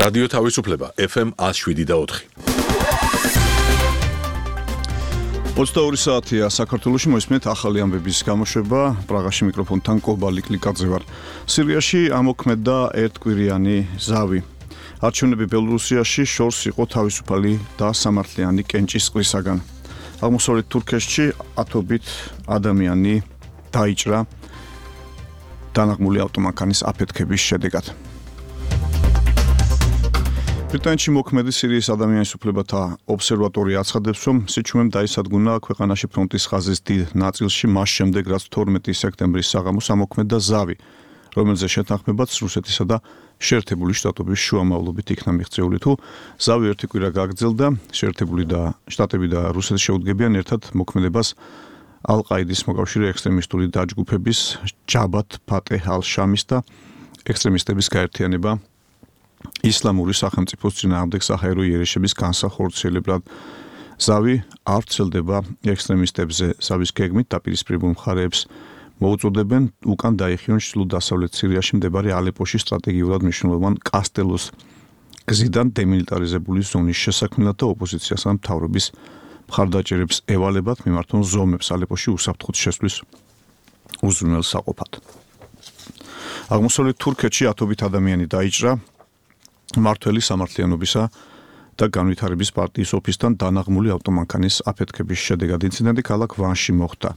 რადიო თავისუფლება FM 107.4. 22 საათია საქართველოში მოისმენთ ახალი ამბების გამოშვება. პრაღაში მიკროფონთან კობალი კლიკაძე ვარ. სირიაში ამოქმედა ერთკვირიანი ზავი. არჩევნები ბელორუსიაში შორს იყო თავისუფალი და სამართლიანი კენჭისყრისაგან. აღმოსავლეთ თურქეთში ათობით ადამიანი დაიჭრა დანაღმული ავტომანქანის აფეთქების შედეგად. ბრიტანეთში მოქმედი სირიის ადამიანის უფლებათა ობსერვატორია აცხადებს, რომ სიჩუმემ დაისადგუნა ქვეყანაში ფრონტის ხაზის დიდ ნაწილში მას შემდეგ, რაც 12 სექტემბრის საღამოს ამოქმედა ზავი, რომელზე შეთანხმებაც რუსეთისა და შეერთებული შტატების შუამავლობით იქნა მიღწეული. თუ ზავი ერთი კვირა გაგრძელდა, შეერთებული შტატები და რუსეთი შეუდგებიან ერთად მოქმედებას ალ-ყაიდის მოკავშირე ექსტრემისტული დაჯგუფების ჯაბათ ფატეჰ ალ-შამის და ექსტრემისტების გაერთიანება ისლამური სახელმწიფოს წინააღმდეგ საჰაერო იერიშების განსახორციელებლად. ზავი არ ვრცელდება ექსტრემისტებზე. ზავის გეგმით დაპირისპირებულ მხარეებს მოუწოდებენ უკან დაიხიონ ჩრდილო-დასავლეთ სირიაში მდებარე ალეპოში სტრატეგიულად მნიშვნელოვან კასტელოს გზიდან დემილიტარიზებული ზონის შესაქმნელად და ოპოზიციას ან მთავრობის მხარდაჭერებს ევალებათ მიმართონ ზომებს ალეპოში უსაფრთხოდ შესვლის უზრუნველსაყოფად. აღმოსავლეთ თურქეთში ათობით ადამიანი დაიჭრა მართველი სამართლიანობისა და განვითარების პარტიის ოფისთან დანაღმული ავტომანქანის აფეთქების შედეგად. ინციდენტი ქალაქ ვანში მოხდა.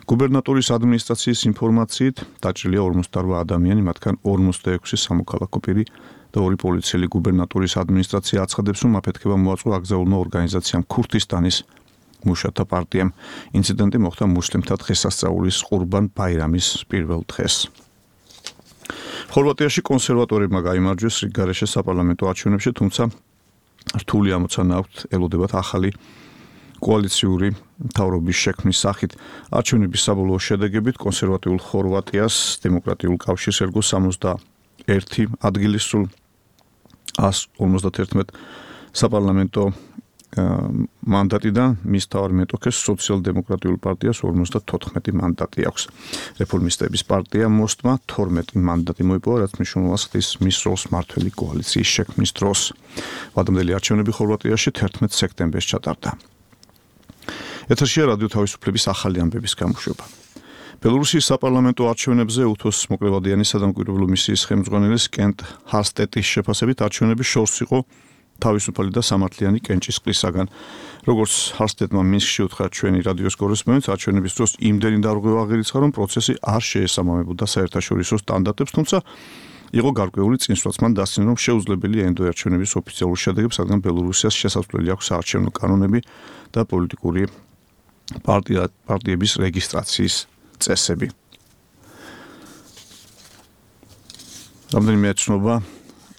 გუბერნატორის ადმინისტრაციის ინფორმაციით დაჭრილია 58 ადამიანი, მათგან 46 სამოქალაქო პირი და 2 პოლიციელი. გუბერნატორის ადმინისტრაცია აცხადებს, რომ აფეთქება მოაწყო აკრძალულმა ორგანიზაციამ ქურთისტანის მუშათა პარტიამ. ინციდენტი მოხდა მუსლიმთა დღესასწაულის ყურბან ბაირამის პირველ დღეს. ხორვატიაში კონსერვატორებმა გაიმარჯვეს რიგგარეშე საპარლამენტო არჩევნებში, თუმცა რთული ამოცანა აქვთ ელოდებათ ახალი კოალიციური მთავრობის შექმნის სახით. არჩევნების საბოლოო შედეგებით კონსერვატიულ ხორვატიას დემოკრატიულ კავშირს ერგო 61 ადგილი სულ 151 საპარლამენტო მანდატიდან მის თავარ მეტოქეს სოციალ-დემოკრატიულ პარტიას 54 მანდატი აქვს. რეფორმისტების პარტია მოსტმა 12 მანდატი მოიპოვა, რაც მნიშვნელობას ხდის მის როლს მმართველი კოალიციის შექმნის დროს. ვადამდელი არჩევნები ხორვატიაში 11 სექტემბერს ჩატარდა. ეთერშია რადიო თავისუფლების ახალი ამბების გამოშვება. ბელორუსიის საპარლამენტო არჩევნებზე უთოს მოკლევადიანის სადამკვირვებლო მისიის ხელმძღვანელის კენტ ჰასტეტის შეფასებით არჩევნები შორს იყო თავისუფალი და სამართლიანი კენჭისყრისაგან. როგორც ჰასტეტმა მინსკში უთხრა ჩვენი რადიოს კორესპონდენტს, არჩევნების დროს იმდენი დარღვევა აღირიცხა, რომ პროცესი არ შეესაბამებოდა საერთაშორისო სტანდარტებს, თუმცა იყო გარკვეული წინსვლაც. მან დასცინა, რომ შეუძლებელია ენდოარჩევნების ოფიციალურ შედეგებს, რადგან ბელორუსიას შესაძლებელი აქვს საარჩევნო კანონები და პოლიტიკური პარტიების რეგისტრაციის წესები. რამდენიმე ეცნობა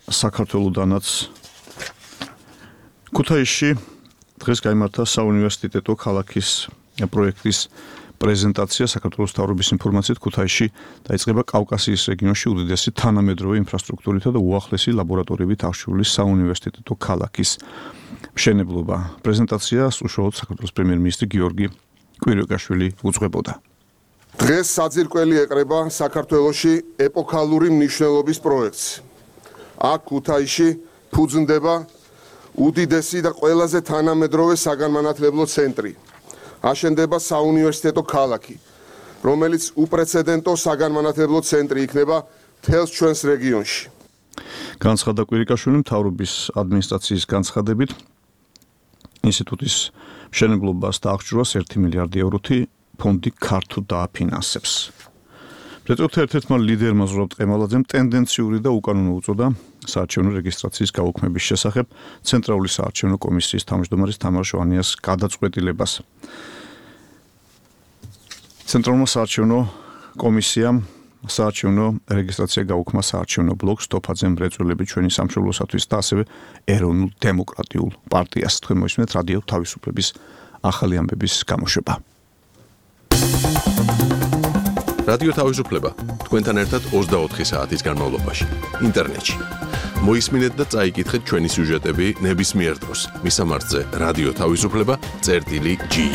საქართველოდანაც ქუთაისში დღეს გაიმართა საუნივერსიტეტო ქალაქის პროექტის პრეზენტაცია. საქართველოს მთავრობის ინფორმაციით ქუთაისში დაიწყება კავკასიის რეგიონში უდიდესი თანამედროვე ინფრასტრუქტურითა და უახლესი ლაბორატორიებით აღჭურვილი საუნივერსიტეტო ქალაქის მშენებლობა. პრეზენტაციას უშუალოდ საქართველოს პრემიერ-მინისტრი გიორგი კვირიკაშვილი უძღვებოდა. დღეს საძირკველი ეყრება საქართველოში ეპოქალური მნიშვნელობის პროექტს. აქ ქუთაისში ფუძნდება უდიდესი და ყველაზე თანამედროვე საგანმანათლებლო ცენტრი. აშენდება საუნივერსიტეტო ქალაქი, რომელიც უპრეცედენტო საგანმანათლებლო ცენტრი იქნება მთელს ჩვენს რეგიონში. განცხადა კვირიკაშვილი. მთავრობის ადმინისტრაციის განცხადებით ინსტიტუტის მშენებლობას და აღჭურვას 1 მილიარდი ევროთი ფონდი ქართულ დააფინანსებს. პრეტოქთა ერთ-ერთმა ლიდერმა ზურაბ ტყემალაძემ ტენდენციური და უკანონო უწოდა საარჩევნო რეგისტრაციის გაუქმების შესახებ ცენტრალური საარჩევნო კომისიის თავმჯდომარის თამარ ჟვანიას გადაწყვეტილებას. ცენტრალურმა საარჩევნო კომისიამ საარჩევნო რეგისტრაცია გაუქმა საარჩევნო ბლოკს თოფაძე მრეწველები ჩვენი სამშობლოსათვის და ასევე ეროვნულ დემოკრატიულ პარტიას. თქვენ მოისმენთ რადიო თავისუფლების ახალი ამბების გამოშვება. რადიო თავისუფლება თქვენთან ერთად 24 საათის განმავლობაში ინტერნეტში. მოისმინეთ და წაიკითხეთ ჩვენი სიუჟეტები ნებისმიერ დროს. მისამართზე რადიო თავისუფლება.gi